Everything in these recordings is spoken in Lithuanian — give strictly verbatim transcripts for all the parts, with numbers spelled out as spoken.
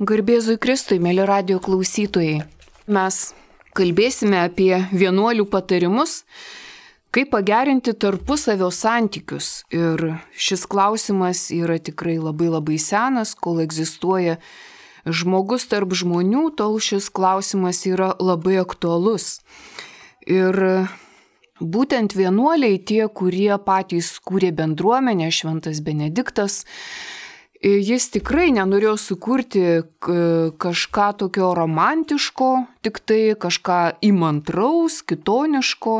Garbėzui Kristui, mėly radijo klausytojai, mes kalbėsime apie vienuolių patarimus, kaip pagerinti tarpusavio santykius. Ir šis klausimas yra tikrai labai labai senas, kol egzistuoja žmogus tarp žmonių, tol šis klausimas yra labai aktualus. Ir būtent vienuoliai, tie, kurie patys kūrė bendruomenę, šventas Benediktas, jis tikrai nenorėjo sukurti kažką tokio romantiško, tik tai kažką įmantraus, kitoniško.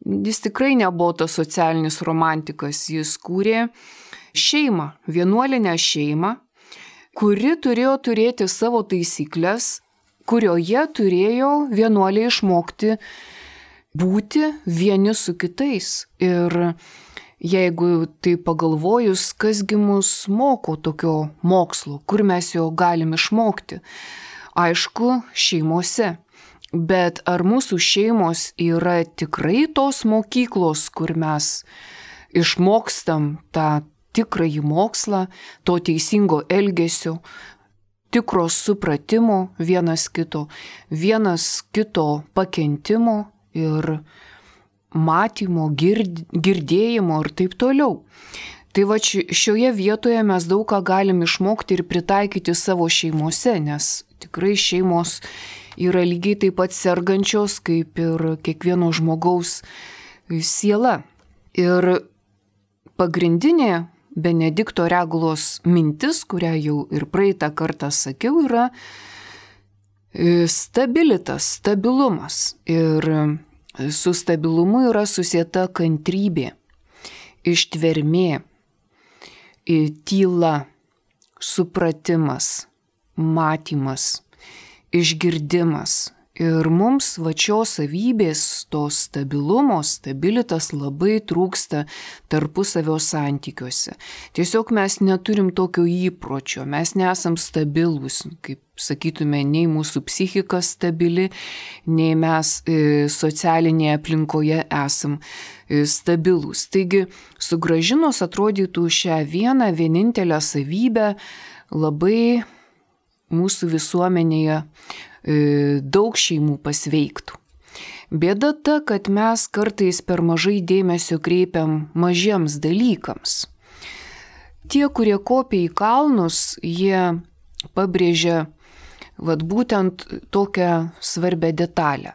Jis tikrai nebuvo tas socialinis romantikas, jis kūrė šeimą, vienuolinę šeimą, kuri turėjo turėti savo taisyklės, kurioje turėjo vienuoliai išmokti būti vieni su kitais. Ir jeigu tai pagalvojus, kasgi mus moko tokio mokslo, kur mes jo galim išmokti? Aišku, šeimose. Bet ar mūsų šeimos yra tikrai tos mokyklos, kur mes išmokstam tą tikrąjį mokslą, to teisingo elgesio, tikro supratimo vienas kito, vienas kito pakentimo ir matymo, gird, girdėjimo ir taip toliau. Tai va šioje vietoje mes daug ką galim išmokti ir pritaikyti savo šeimose, nes tikrai šeimos yra lygiai taip pat sergančios, kaip ir kiekvieno žmogaus siela. Ir pagrindinė Benedikto Regulos mintis, kurią jau ir praeitą kartą sakiau, yra stabilitas, stabilumas. Ir su stabilumu yra susieta kantrybė, ištvermė, tyla, supratimas, matymas, išgirdimas. Ir mums va šios savybės, to stabilumo, stabilitas labai trūksta tarpusavio santykiuose. Tiesiog mes neturim tokio įpročio, mes nesam stabilus, kaip sakytume, nei mūsų psichika stabili, nei mes socialinėje aplinkoje esam stabilus. Taigi, sugrąžinus atrodytų šią vieną vienintelę savybę, labai mūsų visuomenėje daug šeimų pasveiktų. Bėda ta, kad mes kartais per mažai dėmesio kreipiam mažiems dalykams. Tie, kurie kopia į kalnus, jie pabrėžia vat būtent tokią svarbę detalę.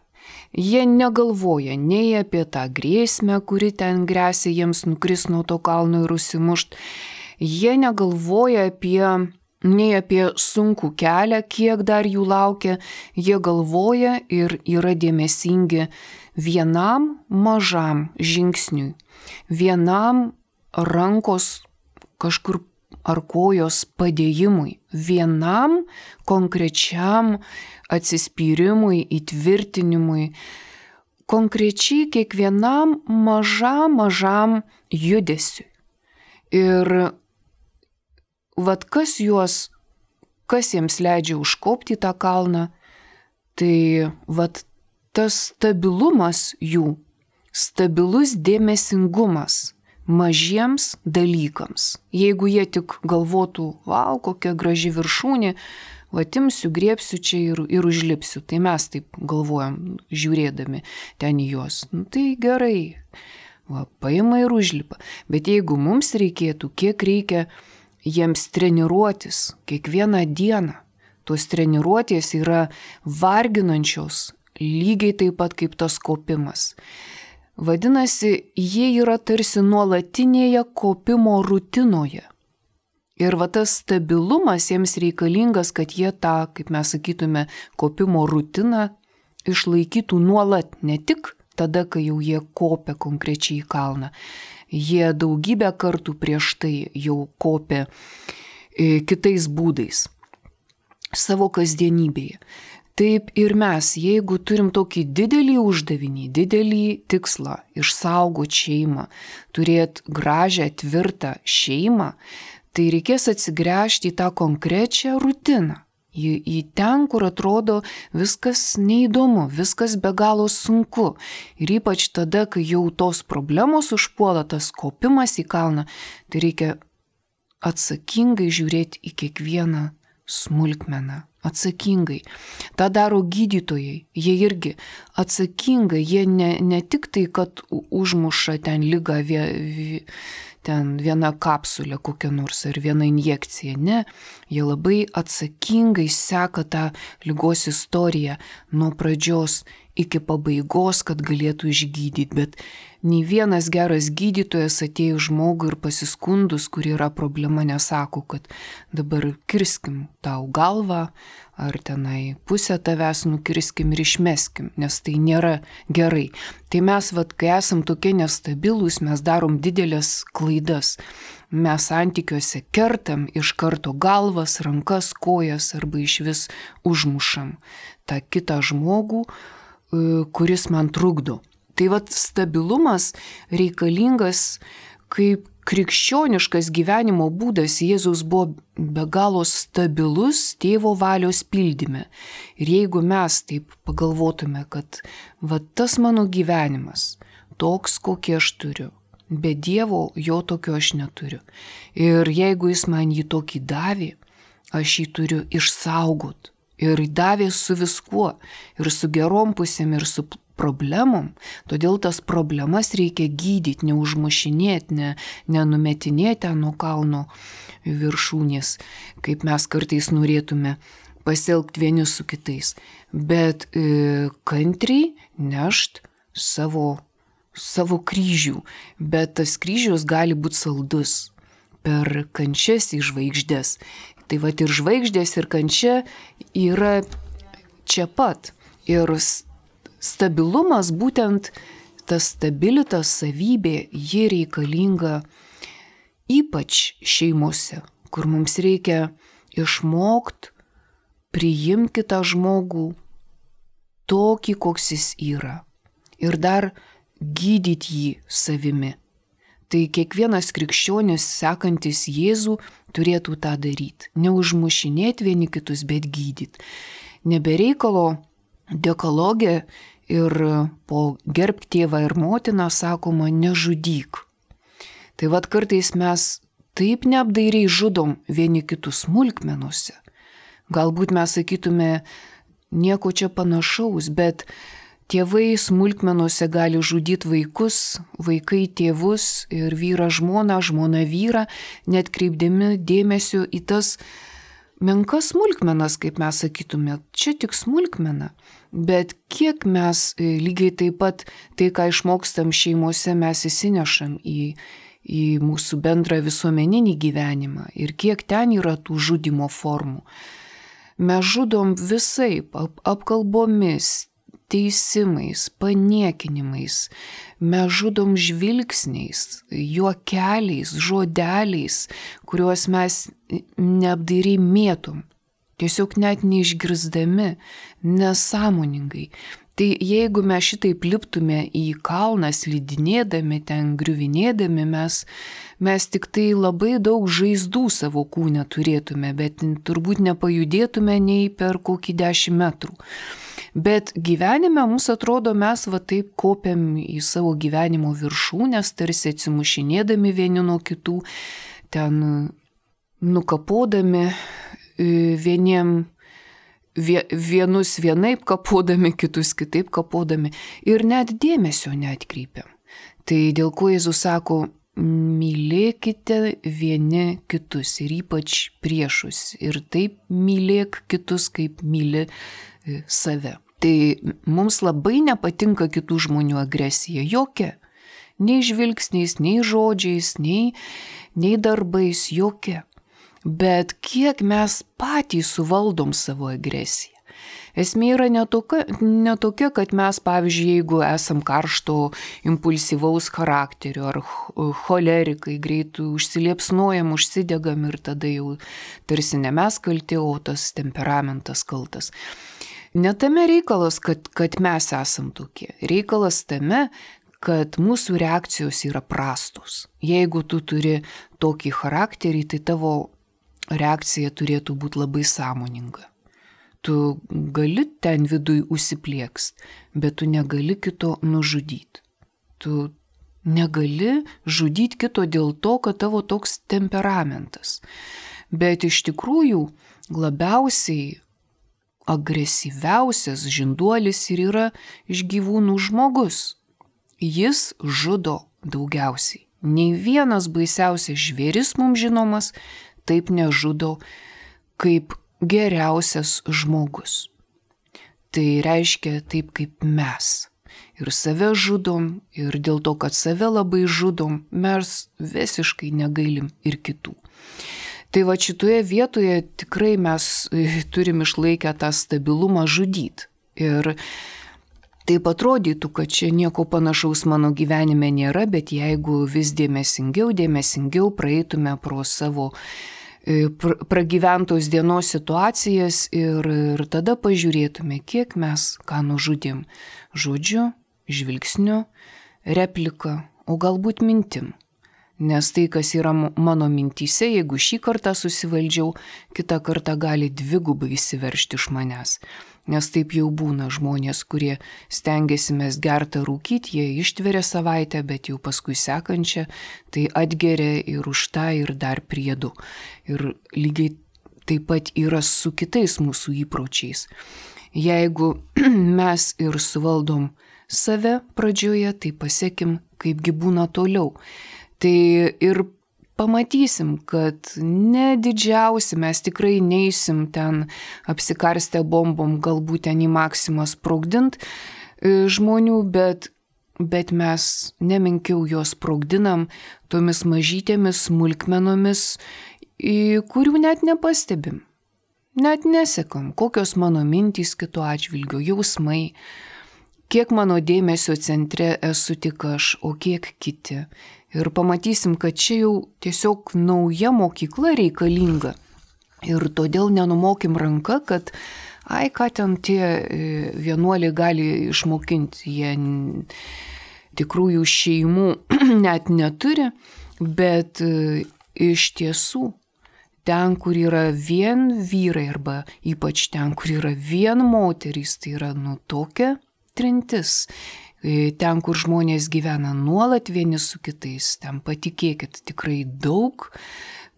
Jie negalvoja nei apie tą grėsmę, kuri ten grėsia jiems nukris nuo to kalno ir užsimušt. Jie negalvoja apie nei apie sunkų kelią, kiek dar jų laukia, jie galvoja ir yra dėmesingi vienam mažam žingsniui, vienam rankos kažkur ar kojos padėjimui, vienam konkrečiam atsispyrimui, įtvirtinimui, konkrečiai kiekvienam mažam mažam judesiui. Ir vat kas juos, kas jiems leidžia užkopti tą kalną, tai vat tas stabilumas jų, stabilus dėmesingumas mažiems dalykams. Jeigu jie tik galvotų, vau, kokia graži viršūnė, vat imsiu, griebsiu čia ir, ir užlipsiu, tai mes taip galvojam, žiūrėdami ten į juos. Nu, tai gerai, va, paima ir užlipa. Bet jeigu mums reikėtų, kiek reikia jiems treniruotis kiekvieną dieną. Tos treniruotės yra varginančios, lygiai taip pat kaip tas kopimas. Vadinasi, jie yra tarsi nuolatinėje kopimo rutinoje. Ir va tas stabilumas jiems reikalingas, kad jie tą, kaip mes sakytume, kopimo rutiną išlaikytų nuolat, ne tik tada, kai jau jie kopia konkrečiai į kalną. Jie daugybę kartų prieš tai jau kopė kitais būdais savo kasdienybėje. Taip ir mes, jeigu turim tokį didelį uždavinį, didelį tikslą išsaugoti šeimą, turėti gražią, tvirtą šeimą, tai reikės atsigręžti į tą konkrečią rutiną. Į, į ten, kur atrodo viskas neįdomu, viskas be galo sunku. Ir ypač tada, kai jau tos problemos užpuola, tas kopimas į kalną, tai reikia atsakingai žiūrėti į kiekvieną smulkmena, atsakingai. Ta daro gydytojai, jie irgi atsakingai, jie ne, ne tik tai, kad užmuša ten ligą, vie, vie, ten viena kapsulė kokia nors ar viena injekcija, ne, jie labai atsakingai seka tą ligos istoriją nuo pradžios iki pabaigos, kad galėtų išgydyti, bet nei vienas geras gydytojas atėjo žmogui ir pasiskundus, kur yra problema, nesako, kad dabar kirskim tau galvą, ar tenai pusę tavęs nukirskim ir išmeskim, nes tai nėra gerai. Tai mes, vat, kai esam tokie nestabilūs, mes darom didelės klaidas. Mes santykiuose kertam iš karto galvas, rankas, kojas arba iš vis užmušam tą kitą žmogų, kuris man trukdo. Tai vat stabilumas reikalingas kaip krikščioniškas gyvenimo būdas. Jėzus buvo be galo stabilus tėvo valios pildyme. Ir jeigu mes taip pagalvotume, kad va tas mano gyvenimas, toks, kokį aš turiu, be Dievo jo tokio aš neturiu. Ir jeigu jis man jį tokį davė, aš jį turiu išsaugot. Ir davė su viskuo, ir su gerom pusėm, ir su problemom. Todėl tas problemas reikia gydyti, neužmušinėti, ne, nenumetinėti nuo kalno viršūnės, kaip mes kartais norėtume pasielgti vieni su kitais, bet e, kantriai nešt savo, savo kryžių. Bet tas kryžius gali būti saldus per kančias į žvaigždės. Tai vat ir žvaigždės, ir kančia yra čia pat. Ir stabilumas, būtent tas stabilitas savybė, ji reikalinga ypač šeimose, kur mums reikia išmokti priimti kitą žmogų tokį, koks jis yra. Ir dar gydyti jį savimi. Tai kiekvienas krikščionis, sekantis Jėzų, turėtų tą daryti. Neužmušinėti vieni kitus, bet gydyti. Nebereikalo dekalogė ir po gerbk tėvą ir motiną sakoma nežudyk. Tai vad kartais mes taip neapdairiai žudom vieni kitus smulkmenuose. Galbūt mes sakytume nieko čia panašaus, bet tėvai smulkmenuose gali žudyti vaikus, vaikai tėvus ir vyra žmona, žmona vyra, net kreipdami dėmesio į tas menkas smulkmenas, kaip mes sakytume, čia tik smulkmena. Bet kiek mes lygiai taip pat tai, ką išmokstam šeimose, mes įsinešam į, į mūsų bendrą visuomeninį gyvenimą ir kiek ten yra tų žudimo formų. Mes žudom visaip, ap, apkalbomis, teisimais, paniekinimais, mes žudom žvilgsniais, juokeliais, žodeliais, kuriuos mes neapdairiai mėtom, tiesiog net neišgirsdami, nesąmoningai. Tai jeigu mes šitaip liptume į kalną, slidinėdami, ten griuvinėdami, mes, mes tik tai labai daug žaizdų savo kūne turėtume, bet turbūt nepajudėtume nei per kokį dešimt metrų. Bet gyvenime mums atrodo, mes va taip kopiam į savo gyvenimo viršūnes, tarsi atsimušinėdami vieni nuo kitų, ten nukapodami vieniem, vienus vienaip kapodami, kitus kitaip kapodami ir net dėmesio neatkreipiam. Tai dėl ko Jėzus sako, mylėkite vieni kitus ir ypač priešus ir taip mylėk kitus, kaip myli save. Tai mums labai nepatinka kitų žmonių agresija, jokia. Nei žvilgsniais, nei žodžiais, nei, nei darbais, jokia. Bet kiek mes patys suvaldom savo agresiją. Esmė yra netokia, netokia, kad mes, pavyzdžiui, jeigu esam karšto, impulsyvaus charakterio ar cholerikai, greitai užsiliepsnojam, užsidegam ir tada jau tarsi ne mes kalti, o tas temperamentas kaltas. Ne tame reikalas, kad, kad mes esam tokie. Reikalas tame, kad mūsų reakcijos yra prastos. Jeigu tu turi tokį charakterį, tai tavo reakcija turėtų būti labai sąmoninga. Tu gali ten viduj užsipliekst, bet tu negali kito nužudyti. Tu negali žudyti kito dėl to, kad tavo toks temperamentas. Bet iš tikrųjų labiausiai agresyviausias žinduolis ir yra iš gyvūnų žmogus. Jis žudo daugiausiai. Nei vienas baisiausias žvėris mums žinomas taip nežudo kaip geriausias žmogus. Tai reiškia taip kaip mes. Ir save žudom, ir dėl to, kad save labai žudom, mes visiškai negailim ir kitų. Tai va šitoje vietoje tikrai mes turim išlaikę tą stabilumą žudyti. Ir taip atrodytų, kad čia nieko panašaus mano gyvenime nėra, bet jeigu vis dėmesingiau, dėmesingiau praeitume pro savo pragyventos dienos situacijas ir, ir tada pažiūrėtume, kiek mes ką nužudėm. Žodžiu, žvilgsniu, replika, o galbūt mintim. Nes tai, kas yra mano mintyse, jeigu šį kartą susivaldžiau, kitą kartą gali dvigubai įsiveržti iš manęs. Nes taip jau būna žmonės, kurie stengiasi mes gertą rūkyti, jie ištveria savaitę, bet jau paskui sekančią, tai atgeria ir už tą ir dar priedu. Ir lygiai taip pat yra su kitais mūsų įpročiais. Jeigu mes ir suvaldom save pradžioje, tai pasiekim, kaipgi būna toliau. Tai ir pamatysim, kad ne didžiausi mes tikrai neisim ten apsikarstę bombom, galbūt ten į maksimą sprogdint žmonių, bet, bet mes nemenkiau juos sprogdinam tomis mažytėmis smulkmenomis, kurių net nepastebim. Net nesekam, kokios mano mintys kitų atžvilgių, jausmai, kiek mano dėmesio centre esu tik aš, o kiek kiti. Ir pamatysim, kad čia jau tiesiog nauja mokykla reikalinga. Ir todėl nenumokim ranką, kad ai, ką ten tie vienuoliai gali išmokinti. Jie tikrųjų šeimų net neturi, bet iš tiesų ten, kur yra vien vyrai arba ypač ten, kur yra vien moterys, tai yra nu tokia trintis. Ten, kur žmonės gyvena nuolat vieni su kitais, ten patikėkit tikrai daug,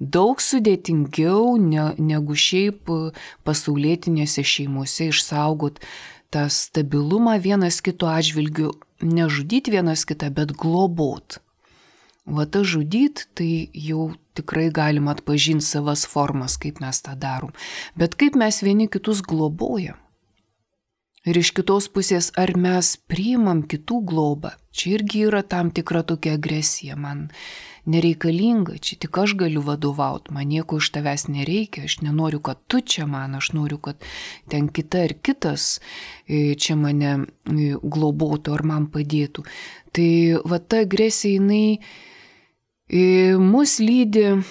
daug sudėtingiau ne, negu šiaip pasaulietinėse šeimose išsaugot tą stabilumą vienas kito atžvilgiu, nežudyti vienas kitą, bet globot. Va ta žudyt, tai jau tikrai galim atpažinti savas formas, kaip mes tą darom. Bet kaip mes vieni kitus globojam? Ir iš kitos pusės, ar mes priimam kitų globą? Čia irgi yra tam tikra tokia agresija. Man nereikalinga, čia tik aš galiu vadovauti, man nieko iš tavęs nereikia, aš nenoriu, kad tu čia man, aš noriu, kad ten kita ir kitas čia mane globotų ar man padėtų. Tai va ta agresija, jinai mus lydi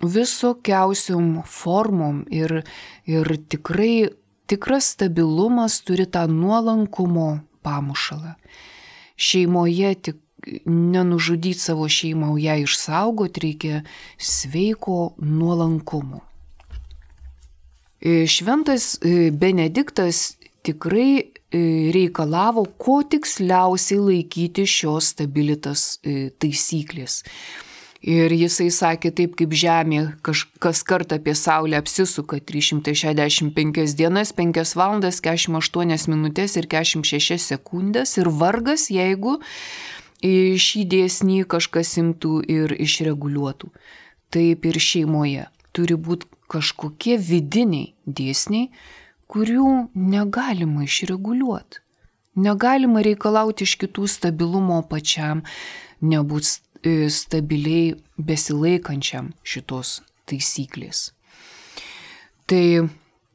visokiausiom formom ir, ir tikrai tikras stabilumas turi tą nuolankumo pamušalą. Šeimoje tik nenužudyti savo šeimą, o ją išsaugoti reikia sveiko nuolankumo. Šventas Benediktas tikrai reikalavo kuo tiksliausiai laikyti šios stabilitas taisyklės. Ir jisai sakė, taip kaip Žemė kas kartą apie Saulę apsisuka trys šimtai šešiasdešimt penkias dienas, penkias valandas, keturiasdešimt aštuonias minutės ir keturiasdešimt šešias sekundės. Ir vargas, jeigu šį dėsnį kažkas imtų ir išreguliuotų. Taip ir šeimoje turi būti kažkokie vidiniai dėsniai, kurių negalima išreguliuoti. Negalima reikalauti iš kitų stabilumo pačiam, nebūt stabiliai besilaikančiam šitos taisyklės. Tai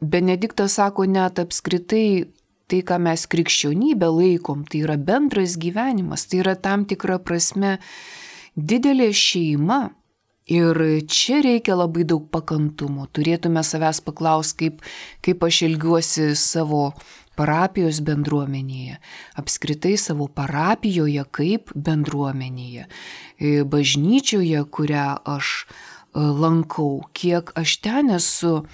Benediktas sako, net apskritai tai, ką mes krikščionybę laikom, tai yra bendras gyvenimas, tai yra tam tikra prasme didelė šeima. Ir čia reikia labai daug pakantumo. Turėtume savęs paklausti, kaip, kaip aš elgiuosi savo parapijos bendruomenėje, apskritai savo parapijoje kaip bendruomenėje, bažnyčioje, kurią aš lankau, kiek aš ten esu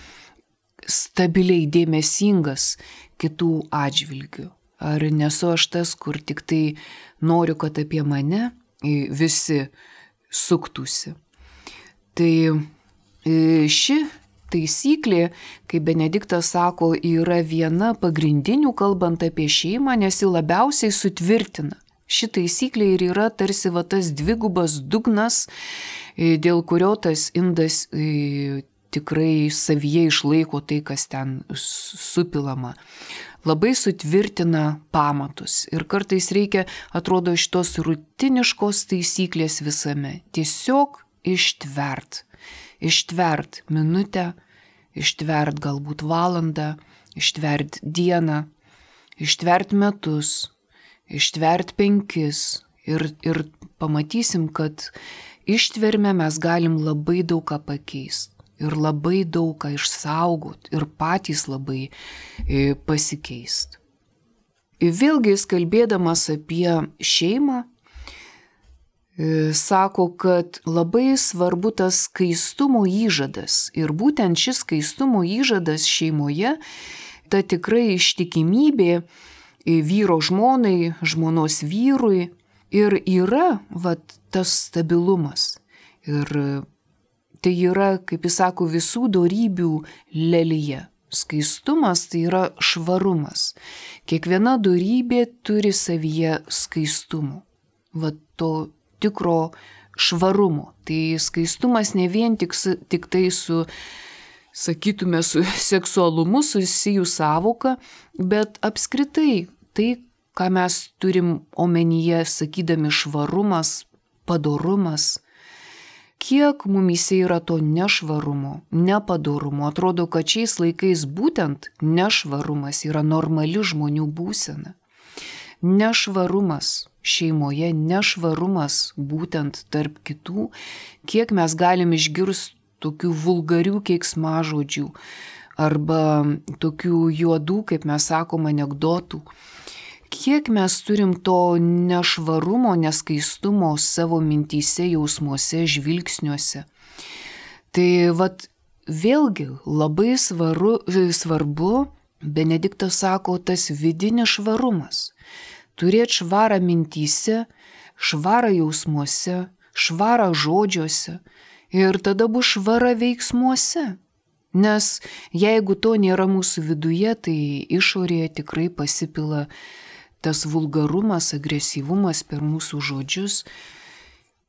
stabiliai dėmesingas kitų atžvilgių. Ar nesu aš tas, kur tik tai noriu, kad apie mane visi suktųsi. Tai ši taisyklė, kaip Benediktas sako, yra viena pagrindinių kalbant apie šeimą, nes ji labiausiai sutvirtina. Ši taisyklė ir yra tarsi va tas dvigubas dugnas, dėl kurio tas indas tikrai savyje išlaiko tai, kas ten supilama. Labai sutvirtina pamatus ir kartais reikia, atrodo, šitos rutiniškos taisyklės visame. Tiesiog ištvert. Ištvert minutę, ištvert galbūt valandą, ištvert dieną, ištvert metus, ištvert penkis ir, ir pamatysim, kad ištverme mes galim labai daug ką pakeisti. Ir labai daug ką išsaugot, ir patys labai e, pasikeist. Vėlgi, jis kalbėdamas apie šeimą, e, sako, kad labai svarbu tas skaistumo įžadas. Ir būtent šis skaistumo įžadas šeimoje, ta tikrai ištikimybė e, vyro žmonai, žmonos vyrui ir yra vat, tas stabilumas. Ir tai yra, kaip jis sako, visų dorybių lelija. Skaistumas tai yra švarumas. Kiekviena dorybė turi savyje skaistumo. Va to tikro švarumo. Tai skaistumas ne vien tik, tik tai su, sakytume, su seksualumu susijų sąvoka, bet apskritai tai, ką mes turim omenyje, sakydami švarumas, padorumas. Kiek mumyse yra to nešvarumo, nepadorumo. Atrodo, kad šiais laikais būtent nešvarumas yra normali žmonių būsena. Nešvarumas šeimoje, nešvarumas būtent tarp kitų, kiek mes galim išgirsti tokių vulgarių keiksmažodžių arba tokių juodų, kaip mes sakom, anekdotų. Kiek mes turim to nešvarumo, neskaistumo savo mintyse, jausmuose, žvilgsniuose. Tai vat vėlgi labai svaru, svarbu, Benediktas sako, tas vidinis švarumas. Turėti švarą mintyse, švarą jausmuose, švarą žodžiuose ir tada bus švara veiksmuose. Nes jeigu to nėra mūsų viduje, tai išorėje tikrai pasipila tas vulgarumas, agresyvumas per mūsų žodžius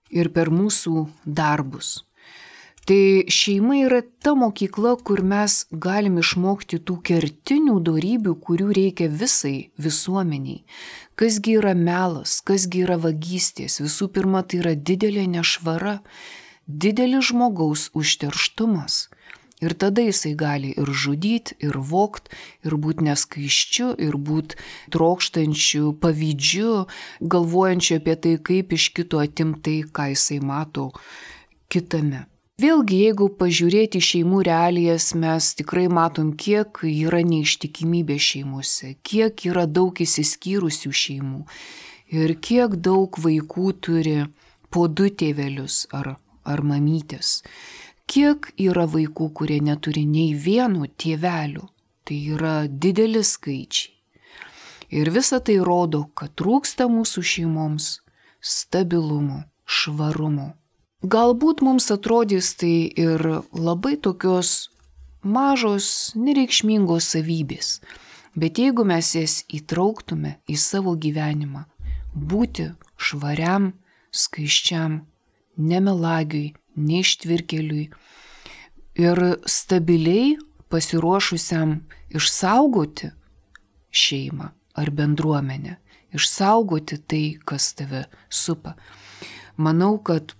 ir per mūsų darbus. Tai šeima yra ta mokykla, kur mes galim išmokti tų kertinių dorybių, kurių reikia visai visuomeniai. Kasgi yra melas, kasgi yra vagystės. Visų pirma, tai yra didelė nešvara, didelis žmogaus užterštumas. Ir tada jisai gali ir žudyti, ir vogt, ir būti neskaiščiu, ir būti trokštančiu, pavydžiu, galvojančiu apie tai, kaip iš kito atimti tai, ką jisai mato kitame. Vėlgi, jeigu pažiūrėti šeimų realijas, mes tikrai matom, kiek yra neištikimybė šeimose, kiek yra daug įsiskyrusių šeimų ir kiek daug vaikų turi po du tėvelius ar, ar mamytės. Kiek yra vaikų, kurie neturi nei vieno tėvelio, tai yra dideli skaičiai. Ir visa tai rodo, kad trūksta mūsų šeimoms stabilumo, švarumo. Galbūt mums atrodys tai ir labai tokios mažos, nereikšmingos savybės, bet jeigu mes jas įtrauktume į savo gyvenimą, būti švariam, skaiščiam, nemelagiui, neištvirkeliui ir stabiliai pasiruošusiam išsaugoti šeimą ar bendruomenę, išsaugoti tai, kas tave supa. Manau, kad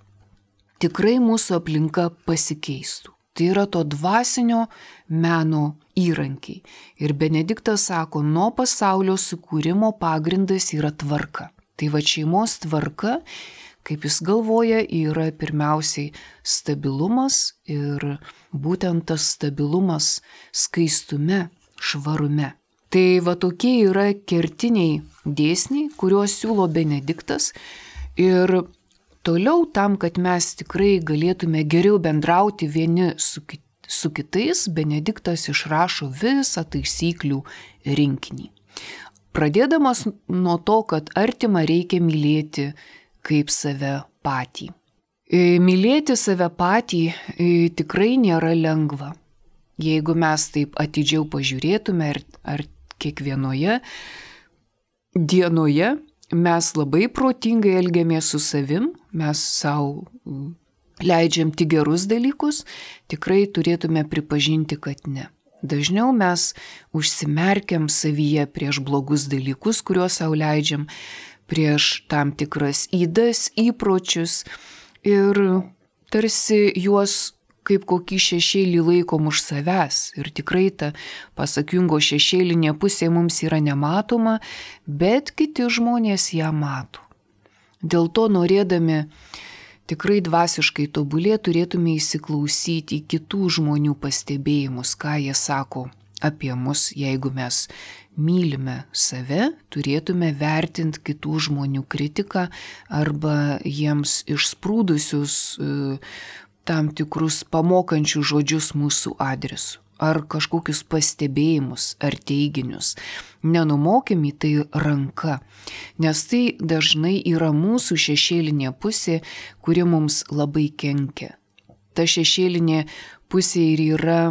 tikrai mūsų aplinka pasikeistų. Tai yra to dvasinio meno įrankiai. Ir Benediktas sako, nuo pasaulio sukūrimo pagrindas yra tvarka. Tai va šeimos tvarka, kaip jis galvoja, yra pirmiausiai stabilumas ir būtent tas stabilumas skaistume, švarume. Tai va tokie yra kertiniai dėsniai, kuriuos siūlo Benediktas ir toliau tam, kad mes tikrai galėtume geriau bendrauti vieni su, kit, su kitais, Benediktas išrašo visą taisyklių rinkinį. Pradėdamas nuo to, kad artimą reikia mylėti kaip save patį. Mylėti save patį tikrai nėra lengva. Jeigu mes taip atidžiau pažiūrėtume, ar, ar kiekvienoje dienoje mes labai protingai elgiamės su savim, mes savo leidžiam tik gerus dalykus, tikrai turėtume pripažinti, kad ne. Dažniau mes užsimerkiam savyje prieš blogus dalykus, kuriuos savo leidžiam, prieš tam tikras ydas, įpročius ir tarsi juos kaip kokį šešėlį laikom už savęs. Ir tikrai ta, pasak Jungo, šešėlinė pusė mums yra nematoma, bet kiti žmonės ją mato. Dėl to norėdami tikrai dvasiškai tobulėti, turėtume įsiklausyti į kitų žmonių pastebėjimus, ką jie sako apie mus. Jeigu mes mylime save, turėtume vertinti kitų žmonių kritiką arba jiems išsprūdusius tam tikrus pamokančius žodžius mūsų adresu. Ar kažkokius pastebėjimus, ar teiginius. Nenumokim į tai ranka, nes tai dažnai yra mūsų šešėlinė pusė, kuri mums labai kenkia. Ta šešėlinė pusė ir yra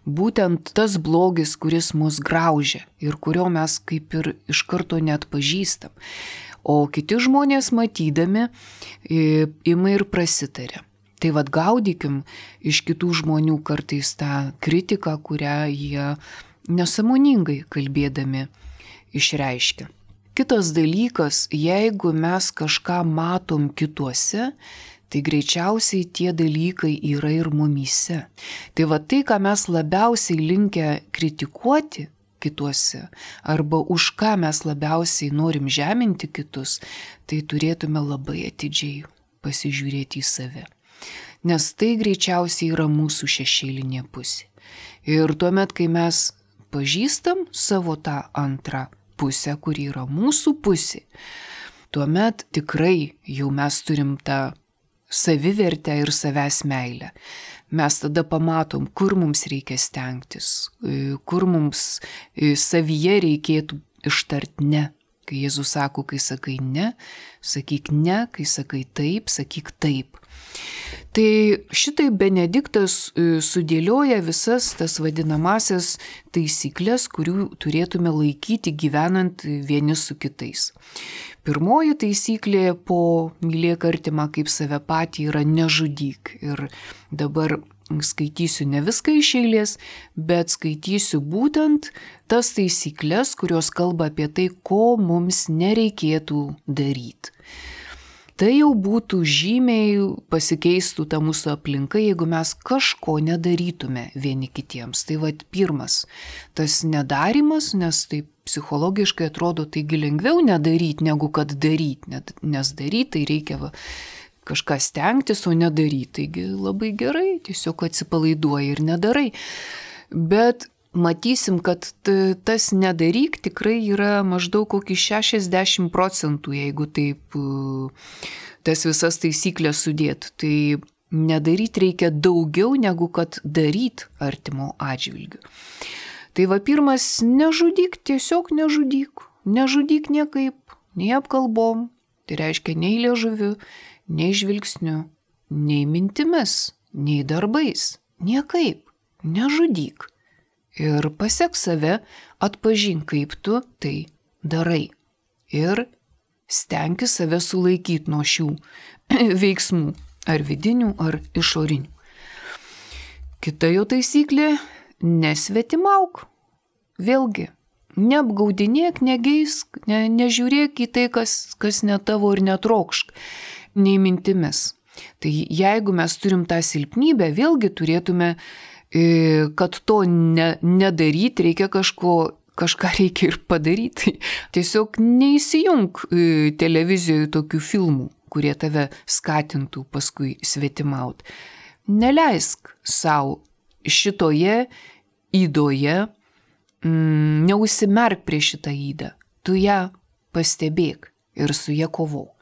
būtent tas blogis, kuris mus graužia ir kurio mes kaip ir iš karto neatpažįstam. O kiti žmonės matydami ima ir prasitarė. Tai vad gaudykim iš kitų žmonių kartais tą kritiką, kurią jie nesąmoningai kalbėdami išreiškia. Kitas dalykas, jeigu mes kažką matom kituose, tai greičiausiai tie dalykai yra ir mumyse. Tai va tai, ką mes labiausiai linkę kritikuoti kituose, arba už ką mes labiausiai norim žeminti kitus, tai turėtume labai atidžiai pasižiūrėti į save. Nes tai greičiausiai yra mūsų šešėlinė pusė. Ir tuomet, kai mes pažįstam savo tą antrą pusę, kuri yra mūsų pusė, tuomet tikrai jau mes turim tą savivertę ir savęs meilę. Mes tada pamatom, kur mums reikia stengtis, kur mums savyje reikėtų ištart ne. Kai Jėzus sako, kai sakai ne, sakyk ne, kai sakai taip, sakyk taip. Tai šitai Benediktas sudėlioja visas tas vadinamasias taisyklės, kurių turėtume laikyti gyvenant vieni su kitais. Pirmoji taisyklė po mylėk artimą kaip save patį yra nežudyk. Ir dabar skaitysiu ne viską iš eilės, bet skaitysiu būtent tas taisyklės, kurios kalba apie tai, ko mums nereikėtų daryti. Tai jau būtų žymiai pasikeistų ta mūsų aplinka, jeigu mes kažko nedarytume vieni kitiems. Tai vad pirmas, tas nedarimas, nes tai psichologiškai atrodo taigi lengviau nedaryti, negu kad daryti, nes daryti tai reikia va, kažką stengtis, o nedaryti. Taigi labai gerai, tiesiog atsipalaiduoji ir nedarai. Bet matysim, kad tas nedaryk tikrai yra maždaug kokį šešiasdešimt procentų, jeigu taip tas visas taisyklės sudėt. Tai nedaryti reikia daugiau, negu kad daryti artimo atžvilgiu. Tai va pirmas, nežudyk, tiesiog nežudyk. Nežudyk niekaip, nei apkalbom, tai reiškia nei liežuviu, nei žvilgsniu, nei mintimis, nei darbais, niekaip, nežudyk. Ir pasek save, atpažink, kaip tu tai darai. Ir stenkis save sulaikyti nuo šių veiksmų, ar vidinių, ar išorinių. Kita jo taisyklė – nesvetimauk. Vėlgi, neapgaudinėk, negeisk, ne, nežiūrėk į tai, kas, kas ne tavo ir netrokšk, nei mintimis. Tai jeigu mes turim tą silpnybę, vėlgi turėtume kad to ne, nedaryti, reikia kažko, kažką reikia ir padaryti. Tiesiog neįsijung televizijoje tokių filmų, kurie tave skatintų paskui svetimaut. Neleisk savo šitoje įdoje, mm, neužsimerk prieš šitą įdą. Tu ją pastebėk ir su ją kovok.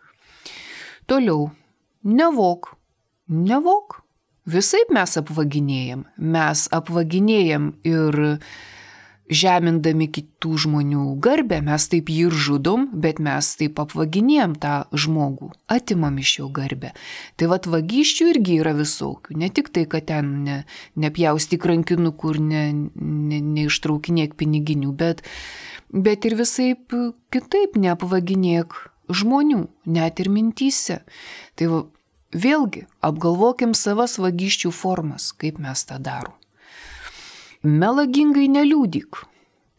Toliau, nevok, nevok. Visaip mes apvaginėjam. Mes apvaginėjam ir žemindami kitų žmonių garbę, mes taip jį ir žudom, bet mes taip apvaginėjom tą žmogų, atimam iš jo garbę. Tai vat vagysčių irgi yra visokių, ne tik tai, kad ten ne, nepjaustyk rankinukų ir ne, ne, neištraukinėk piniginių, bet, bet ir visaip kitaip neapvaginėk žmonių, net ir mintyse. Tai va, vėlgi apgalvokim savas vagysčių formas, kaip mes tą darom. Melagingai neliūdyk.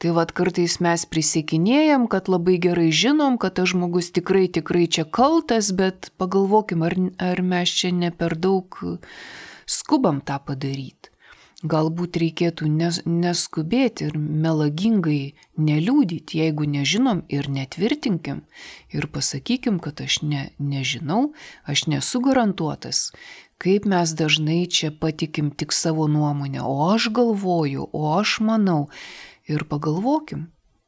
Tai vad kartais mes prisiekinėjam, kad labai gerai žinom, kad tas žmogus tikrai, tikrai čia kaltas, bet pagalvokim, ar, ar mes čia ne per daug skubam tą padaryti. Galbūt reikėtų nes, neskubėti ir melagingai neliūdyti, jeigu nežinom ir netvirtinkim ir pasakykim, kad aš ne, nežinau, aš nesu garantuotas. Kaip mes dažnai čia patikim tik savo nuomonę, o aš galvoju, o aš manau. Ir pagalvokim,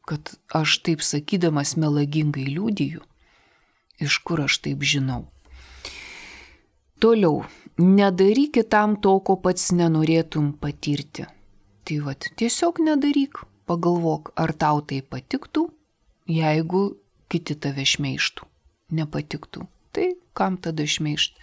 kad aš taip sakydamas melagingai liudiju, iš kur aš taip žinau. Toliau, nedaryk kitam to, ko pats nenorėtum patirti. Tai vat, tiesiog nedaryk, pagalvok, ar tau tai patiktų, jeigu kiti tave šmeižtų, nepatiktų. Tai kam tada šmeižti?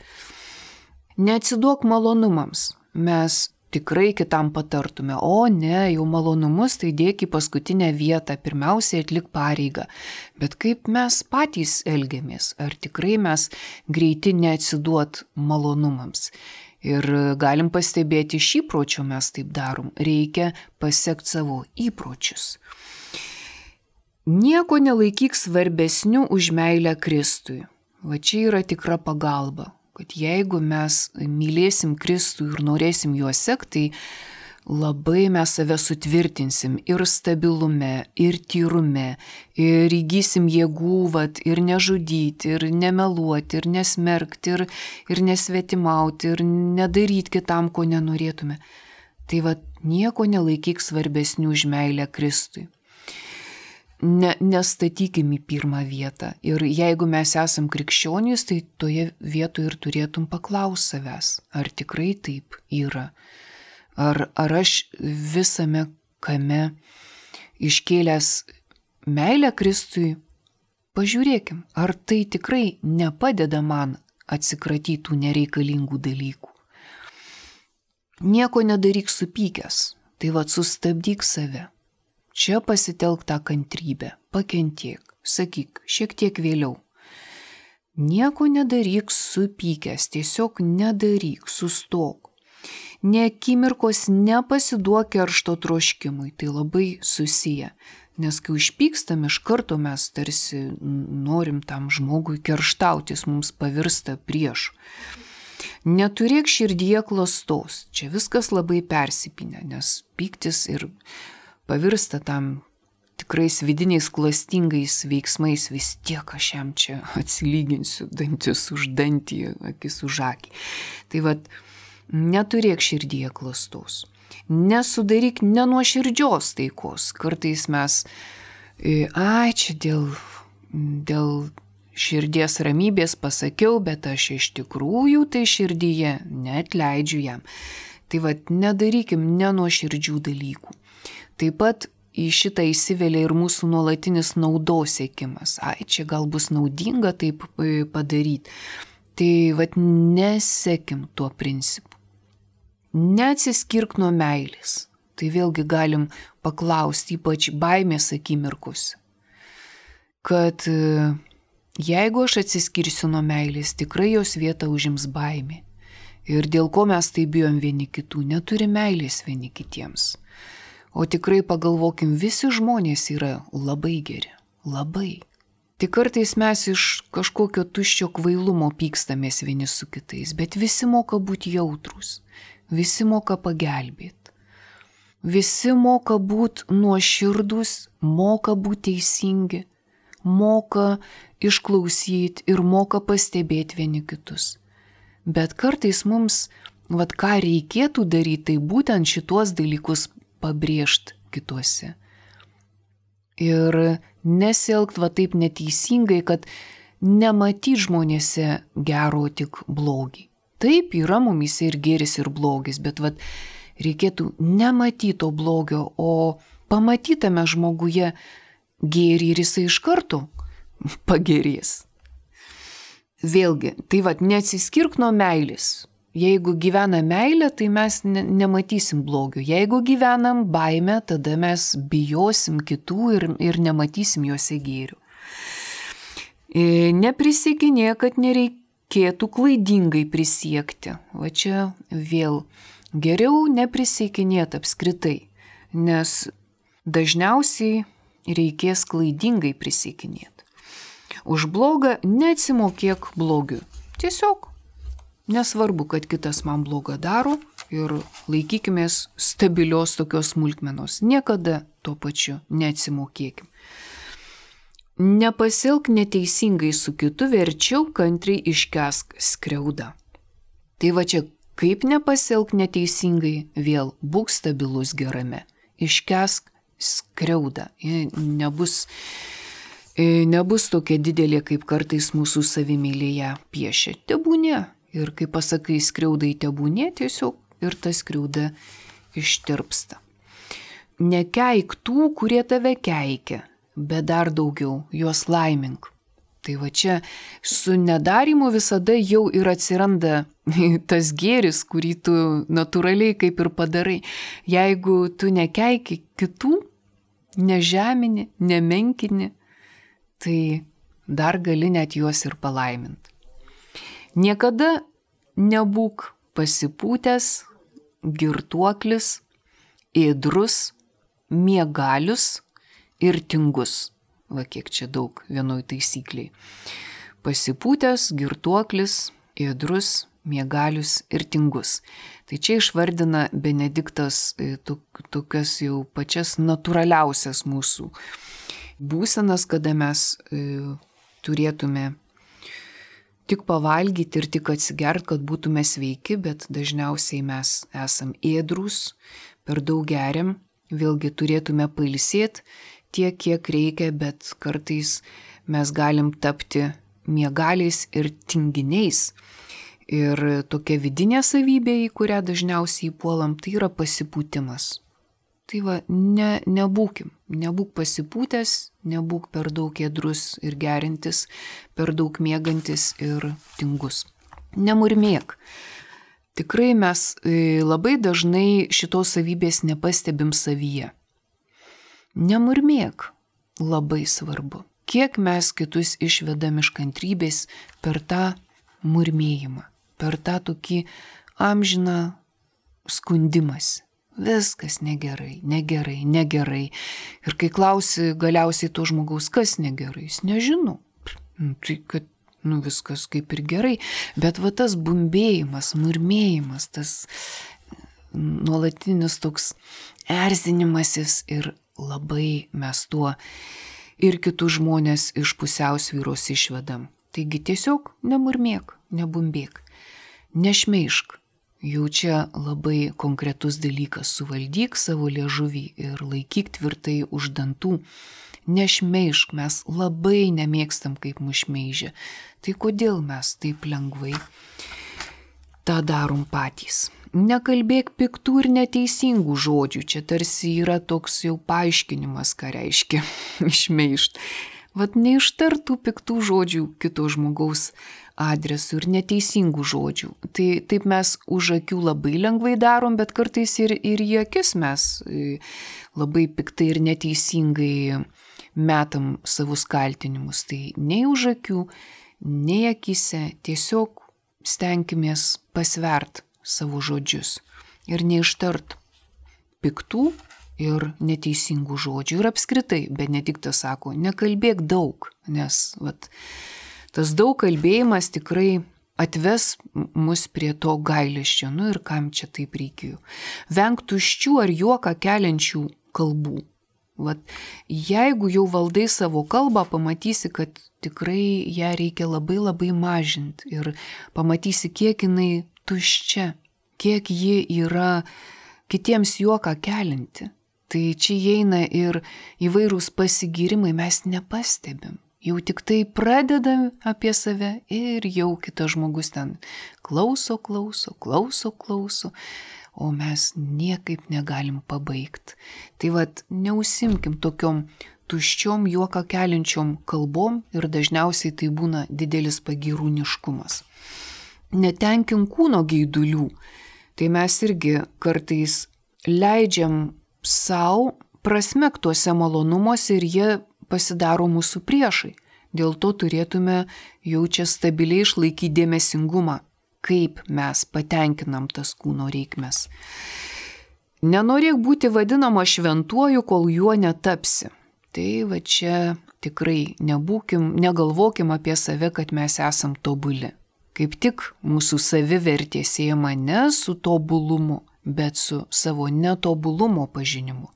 Neatsiduok malonumams, mes tikrai kitam patartume, o ne, jau malonumus tai dėk į paskutinę vietą, pirmiausiai atlik pareigą. Bet kaip mes patys elgiamės, ar tikrai mes greiti neatsiduot malonumams? Ir galim pastebėti iš įpročio mes taip darom, reikia pasiekti savo įpročius. Nieko nelaikyk svarbesniu už meilę Kristui. Va čia yra tikra pagalba. Kad jeigu mes mylėsim Kristų ir norėsim juo sekti, tai labai mes save sutvirtinsim ir stabilume, ir tyrume, ir įgysim jėgų, vat, ir nežudyti, ir nemeluoti, ir nesmerkti, ir, ir nesvetimauti, ir nedaryti kitam, ko nenorėtume. Tai vat, nieko nelaikyk svarbesnių už meilę Kristui. Ne, nestatykim į pirmą vietą. Ir jeigu mes esam krikščionys, tai toje vietoje ir turėtum paklausti savęs, ar tikrai taip yra. Ar, ar aš visame kame iškėlęs meilę Kristui, pažiūrėkim, ar tai tikrai nepadeda man atsikratyti tų nereikalingų dalykų. Nieko nedaryk supykęs, tai vat sustabdyk save. Čia pasitelk tą kantrybę, pakentiek, sakyk, šiek tiek vėliau. Nieko nedaryk supykęs, tiesiog nedaryk, sustok. Nė akimirkos nepasiduok keršto troškimui, tai labai susiję. Nes kai užpykstam, iš karto mes tarsi norim tam žmogui kerštautis, mums pavirsta priešu. Neturėk širdyje klastos, čia viskas labai persipynę, nes pyktis ir pavirsta tam tikrais vidiniais klastingais veiksmais, vis tiek aš jam čia atsilyginsiu dantis už dantį, akis už akį. Tai vat, neturėk širdyje klastos. Nesudaryk nenuoširdžios taikos. Kartais mes, ai, čia dėl, dėl širdies ramybės pasakiau, bet aš iš tikrųjų tai širdyje neatleidžiu jam. Tai vat, nedarykim nenuoširdžių dalykų. Taip pat į šitą įsivelia ir mūsų nuolatinis naudos siekimas. Ai, čia gal bus naudinga taip padaryti. Tai vat nesekim tuo principu. Neatsiskirk nuo meilės. Tai vėlgi galim paklausti, ypač baimės akimirkose. Kad jeigu aš atsiskirsiu nuo meilės, tikrai jos vietą užims baimė. Ir dėl ko mes tai bijom vieni kitų, neturi meilės vieni kitiems. O tikrai pagalvokim, visi žmonės yra labai geri, labai. Tik kartais mes iš kažkokio tuščio kvailumo pykstamės vieni su kitais, bet visi moka būti jautrus, visi moka pagelbėti. Visi moka būti nuoširdus, moka būti teisingi, moka išklausyti ir moka pastebėti vieni kitus. Bet kartais mums, vat ką reikėtų daryti, tai būtent šitos dalykus pabrėžti kituose. Ir nesielgt va taip neteisingai, kad nematyt žmonėse gero, tik blogį. Taip, yra mumise ir gėris, ir blogis, bet vat reikėtų nematyti to blogio, o pamatytame žmoguje gėrį ir jisai iš karto pagerės. Vėlgi, tai vat, neatsiskirk nuo meilės. Jeigu gyvena meilė, tai mes ne, nematysim blogio. Jeigu gyvenam baimę, tada mes bijosim kitų ir, ir nematysim juose gėrių. Neprisiekinė, kad nereikėtų klaidingai prisiekti. Va čia vėl geriau neprisiekinėti apskritai, nes dažniausiai reikės klaidingai prisiekinėti. Už blogą neatsimokėk blogiu. Tiesiog nesvarbu, kad kitas man blogą daro ir laikykimės stabilios tokios smulkmenos. Niekada tuo pačiu neatsimokėkim. Nepasilk neteisingai su kitu, verčiau kantriai iškęsk skriaudą. Tai va čia, kaip nepasilk neteisingai, vėl būk stabilus gerame. Iškęsk skriaudą. Nebus, nebus tokia didelė, kaip kartais mūsų savimylėje piešia. Tebūnė. Ir kai pasakai skriaudai tebūnė, tiesiog ir ta skriauda ištirpsta. Nekeik tų, kurie tave keikia, bet dar daugiau juos laimink. Tai va čia su nedarimu visada jau ir atsiranda tas gėris, kurį tu natūraliai kaip ir padarai. Jeigu tu nekeiki kitų, nežemini, nemenkini, tai dar gali net juos ir palaiminti. Niekada nebūk pasipūtęs, girtuoklis, ėdrus, miegalius ir tingus. Va kiek čia daug vienoj taisykliai. Pasipūtęs, girtuoklis, ėdrus, miegalius ir tingus. Tai čia išvardina Benediktas tokias jau pačias natūraliausias mūsų būsenas, kada mes turėtume tik pavalgyti ir tik atsigert, kad būtume sveiki, bet dažniausiai mes esam ėdrus, per daug geriam, vėlgi turėtume pailsėti tiek, kiek reikia, bet kartais mes galim tapti miegaliais ir tinginiais. Ir tokia vidinė savybė, į kurią dažniausiai puolam, tai yra pasipūtimas. Tai va, ne, nebūkim, nebūk pasipūtęs, nebūk per daug ėdrus ir gerintis, per daug miegantis ir tingus. Nemurmėk. Tikrai mes labai dažnai šitos savybės nepastebim savyje. Nemurmėk. Labai svarbu. Kiek mes kitus išvedam iš kantrybės per tą murmėjimą, per tą tokį amžiną skundimąsi. Viskas negerai, negerai, negerai. Ir kai klausi galiausiai to žmogaus, kas negerai, jis nežino. Tai kad nu, viskas kaip ir gerai. Bet va tas bumbėjimas, murmėjimas, tas nuolatinis toks erzinimasis ir labai mes tuo ir kitus žmonės iš pusiausvyros išvedam. Taigi tiesiog nemurmėk, nebumbėk, nešmeišk. Jau čia labai konkretus dalykas. Suvaldyk savo liežuvį ir laikyk tvirtai už dantų. Nešmeišk, mes labai nemėgstam, kaip mus šmeižia. Tai kodėl mes taip lengvai tą darom patys? Nekalbėk piktų ir neteisingų žodžių. Čia tarsi yra toks jau paaiškinimas, ką reiškia šmeišt. Vat neištartų piktų žodžių kito žmogaus adresų ir neteisingų žodžių. Tai taip mes už akių labai lengvai darom, bet kartais ir, ir į akis mes labai piktai ir neteisingai metam savus kaltinimus. Tai nei už akių, nei akise, tiesiog stenkimės pasvert savo žodžius ir neištart piktų ir neteisingų žodžių. Ir apskritai, Benediktas sako, nekalbėk daug, nes vat, tas daug kalbėjimas tikrai atves mus prie to gailesčio. Nu ir kam čia taip reikėjo? Venk tuščių ar juoką keliančių kalbų. Vat, jeigu jau valdai savo kalbą, pamatysi, kad tikrai ją reikia labai labai mažinti. Ir pamatysi, kiek jinai tuščia, kiek ji yra kitiems juoką kelinti. Tai čia įeina ir įvairūs pasigyrimai, mes nepastebim. Jau tik tai pradedam apie save ir jau kitas žmogus ten klauso, klauso, klauso, klauso. o mes niekaip negalim pabaigti. Tai vad, neusimkim tokiom tuščiom juoką keliančiom kalbom ir dažniausiai tai būna didelis pagyrūniškumas. Netenkim kūno geidulių, tai mes irgi kartais leidžiam savo prasmektuose malonumuose ir jie pasidaro mūsų priešai. Dėl to turėtume jau čia stabiliai išlaikyti dėmesingumą, kaip mes patenkinam tas kūno reikmes. Nenorėk būti vadinama šventuoju, kol juo netapsi. Tai va čia tikrai nebūkim, negalvokim apie save, kad mes esam tobuli. Kaip tik mūsų savivertė siejama ne su tobulumu, bet su savo netobulumo pažinimu.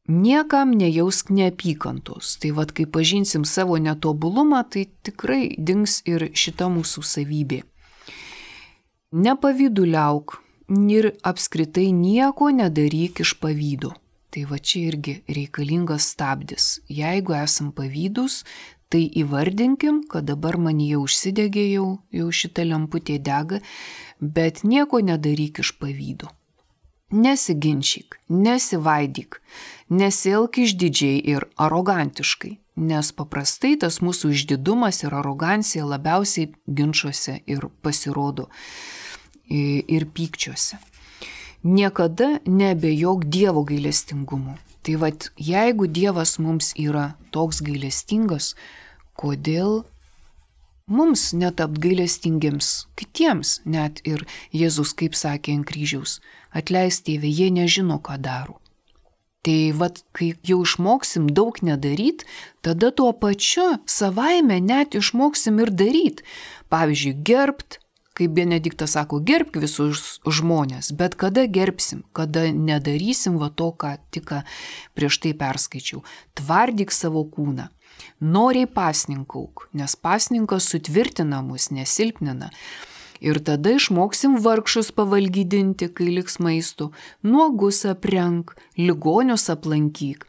Niekam nejausk neapykantos. Tai vad, kai pažinsim savo netobulumą, tai tikrai dings ir šita mūsų savybė. Nepavyduliauk ir apskritai nieko nedaryk iš pavydo. Tai va čia irgi reikalingas stabdis. Jeigu esam pavydus, tai įvardinkim, kad dabar man jau užsidegė, jau, jau šita lemputė dega, bet nieko nedaryk iš pavydo. Nesiginčyk, nesivaidyk, nesielk išdidžiai ir arogantiškai, nes paprastai tas mūsų išdidumas ir arogancija labiausiai ginčuose ir pasirodo ir pykčiuose. Niekada neabejok Dievo gailestingumu. Tai vat, jeigu Dievas mums yra toks gailestingas, kodėl mums netapt gailestingiems kitiems, net ir Jėzus, kaip sakė ant kryžiaus, atleis Tėve, jie nežino, ką daro. Tai vat, kai jau išmoksim daug nedaryt, tada tuo pačiu savaime net išmoksim ir daryt. Pavyzdžiui, gerbt, kaip Benediktas sako, gerbk visus žmonės, bet kada gerbsim, kada nedarysim va to, ką tik prieš tai perskaičiau. Tvardyk savo kūną. Noriai pasninkauk, nes pasninkas sutvirtina mus, nesilpnina. Ir tada išmoksim vargšus pavalgydinti, kai liks maistų, nuogus aprenk, ligonius aplankyk,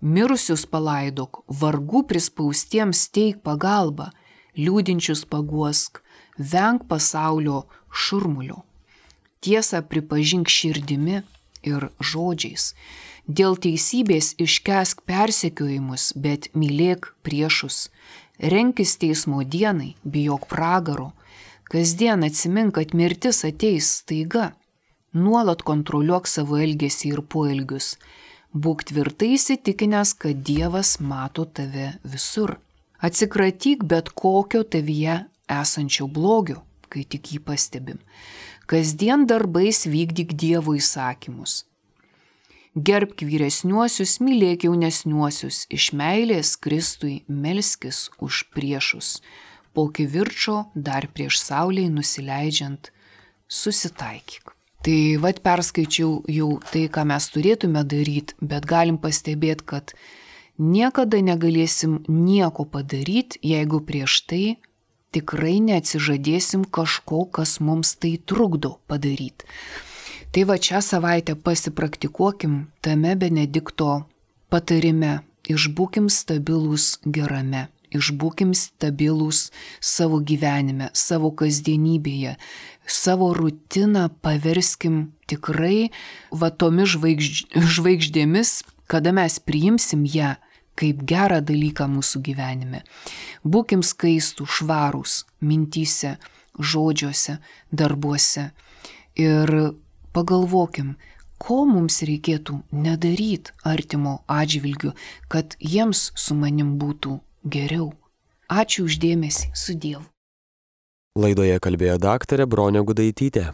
mirusius palaidok, vargų prispaustiems teik pagalbą, liūdinčius paguosk, venk pasaulio šurmulio. Tiesą pripažink širdimi ir žodžiais. Dėl teisybės iškęsk persekiojimus, bet mylėk priešus. Renkis teismo dienai, bijok pragaro. Kasdien atsimink, kad mirtis ateis staiga. Nuolat kontroliuok savo elgesį ir poelgius. Būk tvirtai įsitikinęs, kad Dievas mato tave visur. Atsikratyk bet kokio tavyje esančio blogio, kai tik jį pastebim. Kasdien darbais vykdyk Dievo įsakymus. Gerbk vyresniuosius, mylėk jaunesniuosius, iš meilės Kristui melskis už priešus. Po kivirčo dar prieš saulei nusileidžiant susitaikyk. Tai vat perskaičiau jau tai, ką mes turėtume daryti, bet galim pastebėti, kad niekada negalėsim nieko padaryti, jeigu prieš tai tikrai neatsižadėsim kažko, kas mums tai trukdo padaryti. Tai va šią savaitę pasipraktikuokim tame Benedikto patarime, išbūkim stabilūs gerame, išbūkim stabilūs savo gyvenime, savo kasdienybėje, savo rutiną paverskim tikrai va tomis žvaigžd... žvaigždėmis, kada mes priimsim ją kaip gerą dalyką mūsų gyvenime. Būkim skaistų, švarūs mintyse, žodžiuose, darbuose ir pagalvokim, ko mums reikėtų nedaryti artimo atžvilgiu, kad jiems su manim būtų geriau. Ačiū už dėmesį, su Dievu. Laidoje kalbėjo daktarė Bronė Gudaitytė.